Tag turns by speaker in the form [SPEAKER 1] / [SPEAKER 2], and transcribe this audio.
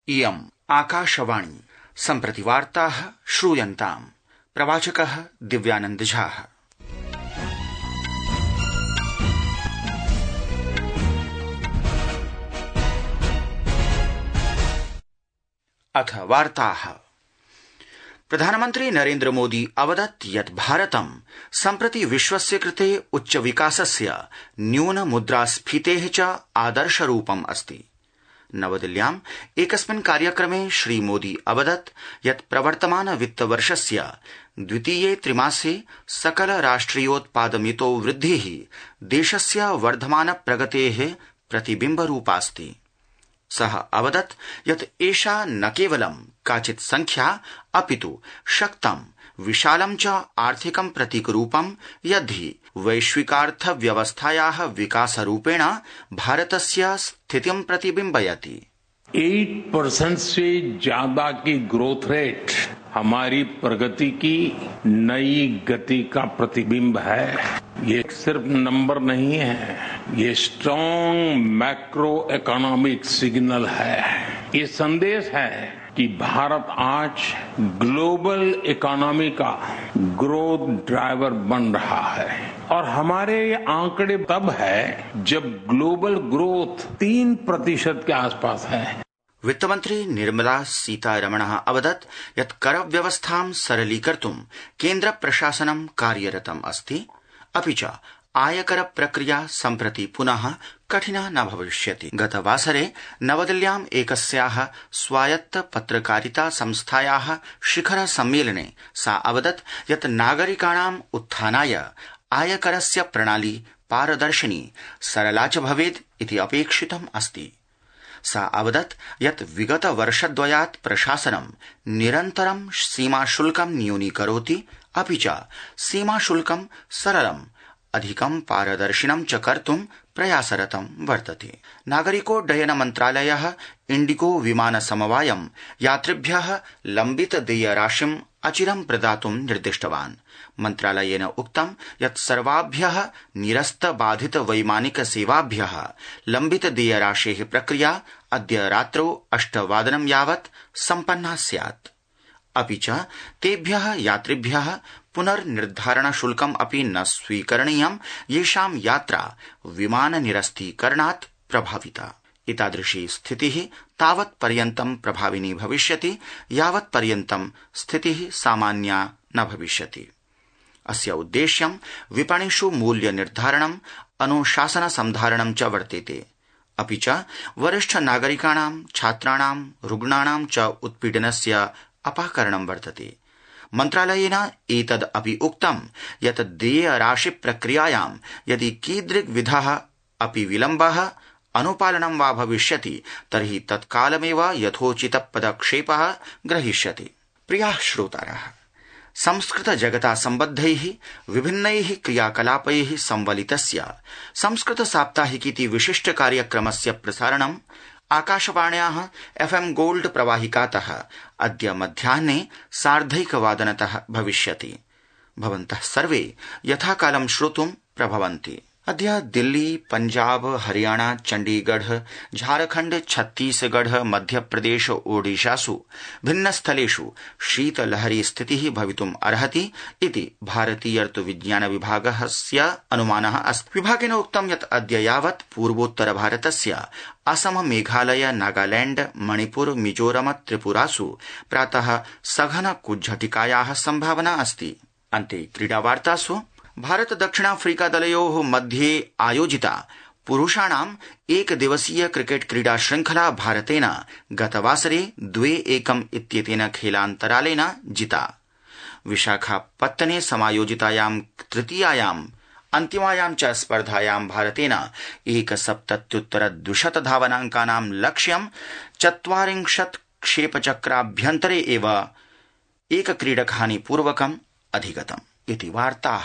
[SPEAKER 1] इयम् आकाशवाणी सम्प्रति वार्ताः श्रूयन्ताम्। प्रवाचकः दिव्यानन्द झा। अथ वार्ताः। प्रधानमन्त्री नरेन्द्र मोदी अवदत् यत् भारतं सम्प्रति विश्वस्य कृते उच्च विकासस्य न्यून मुद्रास्फीतेः च आदर्शरूपम् अस्ति। नवदिल्ल्याम् एकस्मिन् कार्यक्रमे श्रीमोदी अवदत् यत् प्रवर्तमान वित्तवर्षस्य द्वितीये त्रिमासे सकल राष्ट्रियोत्पादमितो वृद्धिः देशस्य वर्धमान प्रगतेः प्रतिबिम्बरूपास्ति। सः अवदत् यत् एषा न केवलं काचित् संख्या अपितु शक्तं विशालं च आर्थिकं प्रतीकरूपं यद्धि वैश्विकार्थव्यवस्थायाः विकासरूपेण भारतस्य स्थितिं प्रतिबिम्बयति।
[SPEAKER 2] 8% से ज्यादा की ग्रोथ रेट हमारी प्रगति की नई गति का प्रतिबिंब है। ये सिर्फ नंबर नहीं है, ये स्ट्रॉन्ग मैक्रो इकोनॉमिक सिग्नल है। ये संदेश है कि भारत आज ग्लोबल इकोनॉमी का ग्रोथ ड्राइवर बन रहा है और हमारे आंकड़े तब है जब ग्लोबल ग्रोथ 3% के आसपास है।
[SPEAKER 1] वित्तमन्त्री निर्मला सीतारमणः अवदत् यत् करव्यवस्थां सरलीकर्तुं केन्द्र प्रशासनं कार्यरतम् अस्ति, अपि च आयकर प्रक्रिया सम्प्रति पुनः कठिना न भविष्यति। गतवासरे नवदिल्ल्याम् एकस्याः स्वायत्त पत्रकारिता संस्थायाः शिखर सम्मेलने सा अवदत् यत् नागरिकाणाम् उत्थानाय आयकरस्य प्रणाली पारदर्शिनी सरला च भवेत् इति अपेक्षितम् अस्ति। सा अवदत् यत् विगत वर्षद्वयात् प्रशासनं निरन्तरं सीमाशुल्कं न्यूनीकरोति, अपि च सीमाशुल्कं सरलम् अधिकं पारदर्शिनं च कर्तुं प्रयासरतं वर्तते। नागरिकोड्डयन मन्त्रालयः इण्डिगो विमान समवायं यात्रिभ्यः लम्बित देयराशिम् अचिरं प्रदातुं निर्दिष्टवान्। मन्त्रालयेन उक्तं यत् सर्वाभ्यः निरस्त बाधित वैमानिक सेवाभ्यः लम्बित देयराशेः प्रक्रिया अद्य रात्रौ 8 यावत् सम्पन्ना स्यात्। अपि च तेभ्यः यात्रिभ्यः पुनर्निर्धारण शुल्कम् अपि न स्वीकरणीयं येषां यात्रा विमान निरस्तीकरणात् प्रभाविता। एतादृशी स्थितिः तावत् पर्यन्तं प्रभाविनी भविष्यति यावत् पर्यन्तं स्थितिः सामान्या न भविष्यति। अस्य उद्देश्यं विपणिषु मूल्य निर्धारणम्, अनुशासन संधारणं च वर्तेते। अपि च वरिष्ठ नागरिकाणां, छात्राणां, रुग्णाणां च उत्पीडनस्य अपाकरणं वर्तते। मन्त्रालयेन एतद् अपि उक्तं यत् देयराशि प्रक्रियायां यदि कीदृग्विधः अपि विलम्बः अनुपालनं वा भविष्यति तर्हि तत्कालमेव यथोचित पदक्षेपः ग्रहीष्यते। प्रियाः श्रोतारः, संस्कृत जगता सम्बद्धैः विभिन्नैः क्रियाकलापैः संवलितस्य संस्कृत साप्ताहिकीति विशिष्ट कार्यक्रमस्य प्रसारणं आकाशवाण्याः FM गोल्ड प्रवाहिकातः अद्य मध्याह्ने 1:30 भविष्यति। भवन्तः सर्वे यथाकालं श्रोतुं प्रभवन्ति। अद्य दिल्ली, पंजाब, हरियाणा, चण्डीगढ़, झारखण्ड, छत्तीसगढ़, मध्यप्रदेश, ओडिशासु भिन्नस्थलेषु शीतलहरी स्थितिः भवितुम् अर्हति इति भारतीय ऋतुविज्ञान विभागस्य अनुमानः अस्ति। विभागेन उक्तं यत् अद्य यावत् पूर्वोत्तर भारतस्य असम, मेघालय, नागालैंड, मणिपुर, मिजोरम, त्रिपुरासु प्रातः सघन कुज्झटिकायाः सम्भावना अस्ति। अन्ते क्रीडावार्तासु भारत दक्षिणाफ्रीका दलयोः मध्ये आयोजिता पुरुषाणाम् एकदिवसीय क्रिकेट क्रीडा श्रृंखला भारतेन गतवासरे 2-1 इत्येतेन खेलान्तरालेन जिता। विशाखापत्तने समायोजितायां तृतीयायाम् अन्तिमायां च स्पर्धायां भारतेन 170 धावनाङ्कानां लक्ष्यं 40 क्षेपचक्राभ्यन्तरे एव एकक्रीडकहानिपूर्वकम् अधिगतम् इति वार्ताः।